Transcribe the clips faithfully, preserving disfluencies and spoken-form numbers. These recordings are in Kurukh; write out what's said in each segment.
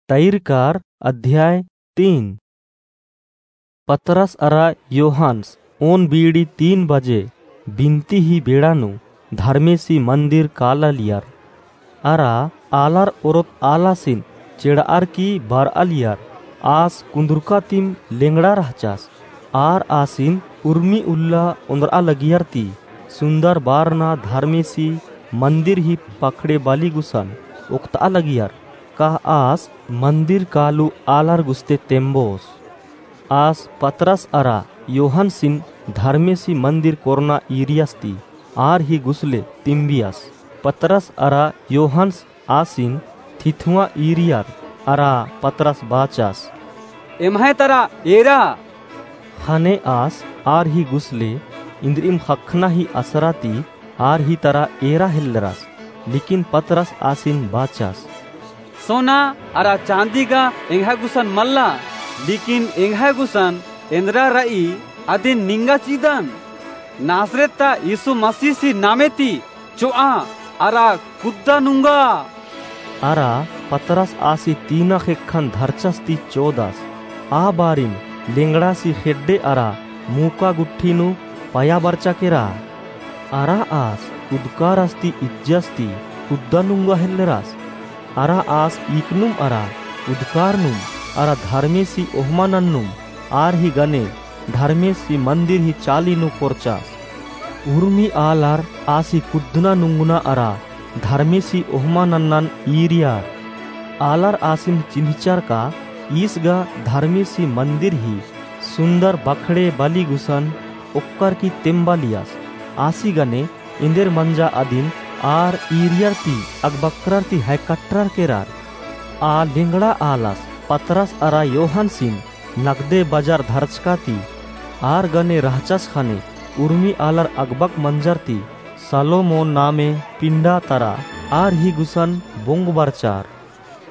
तैरकार अध्याय तीन। पतरस अरा योहानस ओन बीड़ी तीन बजे बिनती ही बेड़ा नू धर्मेसी मंदिर कालालियर। अरा आलर ओरोत आलासिन चेड़ारकी बरआलियर। आस कुन्दुरका तिम लेंगड़ा रहचस। आर आसिन उर्मी उल्ला ओन्दरआ लगियर ती सुन्दर बारना धर्मेसी मंदिर ही पखड़े बाली गुसन ओक्तआ लगियर। का आस मंदिर कालू आलर गुस्ते तेम्बोस। आस पतरस अरा योहानसिन धर्मेसी मंदिर कोरना ईरियस ती आर ही गुसले तिम्बियस। पतरस अरा योहानस आसिन थिथुआ ईरियर अरा पतरस बाचस, एम्है तरा एरा। ख़ने आस आर ही गुसले इन्द्रिइम ख़क्खना ही असरा ती आर ही तरा एरा हेल्लरस। लेकिन पतरस आसिन बाचस, सोना अरा चाँदी गा एंग्है गुसन मल्ला, लेकिन एंग्है गुसन एन्दरा रई अदिन निंगा चिदन। नासरेत ता यीशु मसीहसी नामे ती चोआ अरा कुद्दा नुंगा। अरा पतरस आसी तीना ख़ेक्खन धरचस ती चोदस। आ बारिम लेंगड़ासी ख़ेड्डे अरा मूका गुट्ठी नू पया बरचा केरा। अरा आस उदकारस ती इज्जस ती कुद्दा नुंगा हेल्लरस। अरा आस इकनुम अरा उदकारनुम अरा धर्मेसी ओहमा नन्नुम आर ही गने धर्मेसी मंदिर ही चाली नू कोरचस। उर्मी आलर आसी कुद्दना नुंगना अरा धर्मेसी ओहमा नन्नन ईरियर। आलर आसिन चिन्हचर का ईस गा धर्मेसी मंदिर ही सुन्दर बखड़े बाली गुसन ओक्कर की तेम्बालियस। आसी गने एन्देर मंजा अदिन आर ईरियर ती अगबक्रर ती हैकट्रर केरर। आ लेंगड़ा आलस पतरस अरा योहानसिन नगदे बजार धरचका ती आर गने रहचस ख़ने उर्मी आलर अगबक मंजर ती सलोमोन नामे पिंडा तरा आर ही गुसन बोंग बरचर।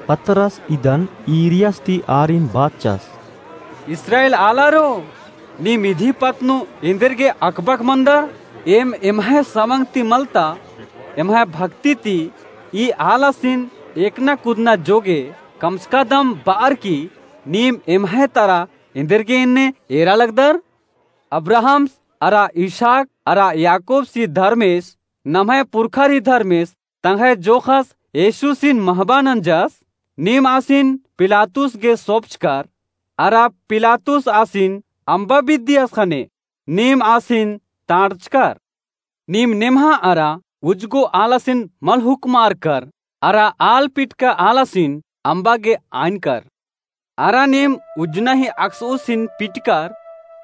पतरस इदन ईरियस ती आरिन बाचस, इस्राएल आलारो, नीम इदी पत्त नू एन्देरगे अकबक मंदर? एम एम्है समंग ती मलता, एम्है भक्ति ती ई आलासिन एकना कुदना जोगे कमचकादम बअर की नीम एम्है तरा एन्देरगे एन्ने एरा लगदर? अब्राहमस अरा इसहाक अरा याकूबसी धर्मेस, नम्है पुरखर ही धर्मेस, तंग्है जोखस येशुसिन महबा नंजस। नीम आसिन पिलातुस गे सोपचकर, अरा पिलातुस आसिन अम्बा बिद्दियस ख़ने नीम आसिन ताड़चकर। नीम नेम्हा अरा उजगो आलासिन मल हुक्मारकर, अरा आल पिटका आलासिन अम्बा गे आइनकर। अरा नीम उज्जना ही अक्सउसिन पिटकर,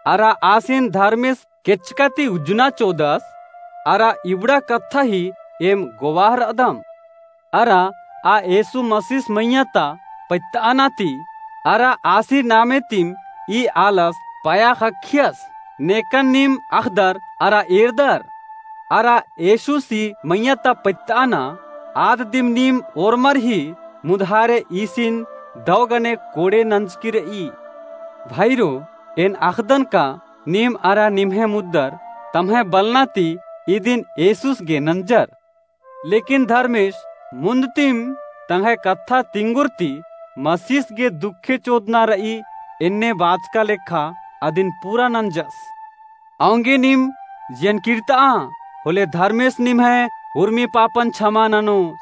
अरा आसिन धर्मेस केचका ती उज्जना चोदस, अरा इबड़ा कत्था ही एम गोवाह रअदम। अरा आ येसु मसीस मइय्याँ ता पइत्तअना ती, अरा आसी नामे तिम ई आलस पया ख़क्खियस, नेकन नीम अख़दर अरा एरदर। अरा येसुसी मइय्याँ ता पइत्तअना आद दिम नीम ओर्मर ही मुदहारे ईसिन दव गने कोड़े नंजकी रई। भाईरो, एन अख़दन का नीम अरा निम्है मुद्दर तम्है बलना ती इदिन येसुस गे नंजर। लेकिन धर्मेस मुन्द तिम तंग्है कत्था तिंगुर ती मसीस गे दुखे चोदना रई एन्ने बाचका लेखा अदिन पूरा नंजस। औंगे नीम जियन किर्तआ, होले धर्मेस निम्है उर्मी पापन छमा ननोस।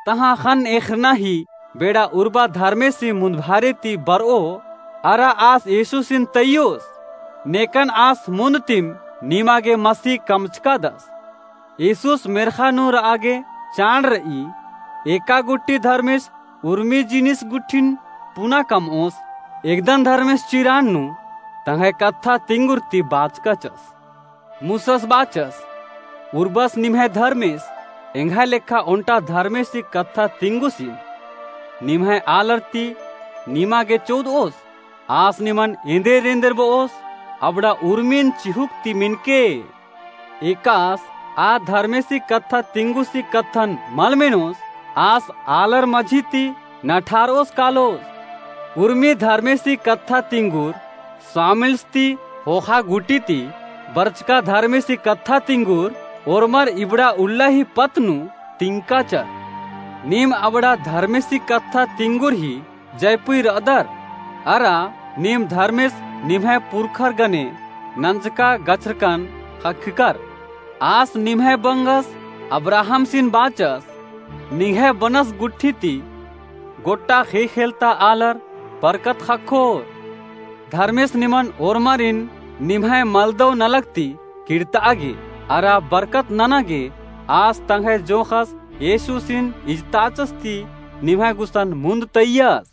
तहाँ ख़न्न एख़रना ही बेड़ा उर्बा धर्मेसी मुन्दभारे ती बरओ, अरा आस येसुसिन तइयोस, नेकन आस मुन्द तिम निमा गे मसी कमचकादस। येसुस मेर्ख़ा नू रआ गे चाड़ रई। एका गुट्ठी धर्मेस उर्मी जिनिस गुट्ठिन पुना कमओस। एकदन धर्मेस चिरान नू तंग्है कत्था तिंगुर ती बाचकाचस। मूसस बाचस, उर्बस निम्है धर्मेस एंग्है लेखा ओन्टा धर्मेसी कत्था तिंगुसिन। निम्है आलर ती निमा गे चोदओस, आस निमन एन्देर एन्देर बओस, अबड़ा उर्मिन चिहुक ती मिनके। एकास आ धर्मेसी कत्था तिंगुसी कत्थन मल मेनोस, आस आलर मझी ती नठारओस कालोस। उर्मी धर्मेसी कत्था तिंगुर स्वामिल्स ती ख़ोख़ा गुटी ती बरचका धर्मेसी कत्था तिंगुर ओर्मर इबड़ा उल्ला ही पत्त नू तिंकाचर। नीम अबड़ा धर्मेसी कत्था तिंगुर ही जैपुई र'अदर, अरा नीम धर्मेस निम्है पुरखर गने नंजका गछरकन ख़क्खकर। आस निम्है बंगस अब्राहमसिन बाचस, निंग्है बनस गुट्ठी ती गोट्टा ख़ेख़ेल ता आलर बरकत ख़क्खोर। धर्मेस निमन ओर्मरिन निम्है मलदव नलख ती किड़त'आ गे, अरा बरकत नना गे आस तंग्है जोंख़स येशुसिन इजताचस ती निम्है गुसन मुन्द तइयस।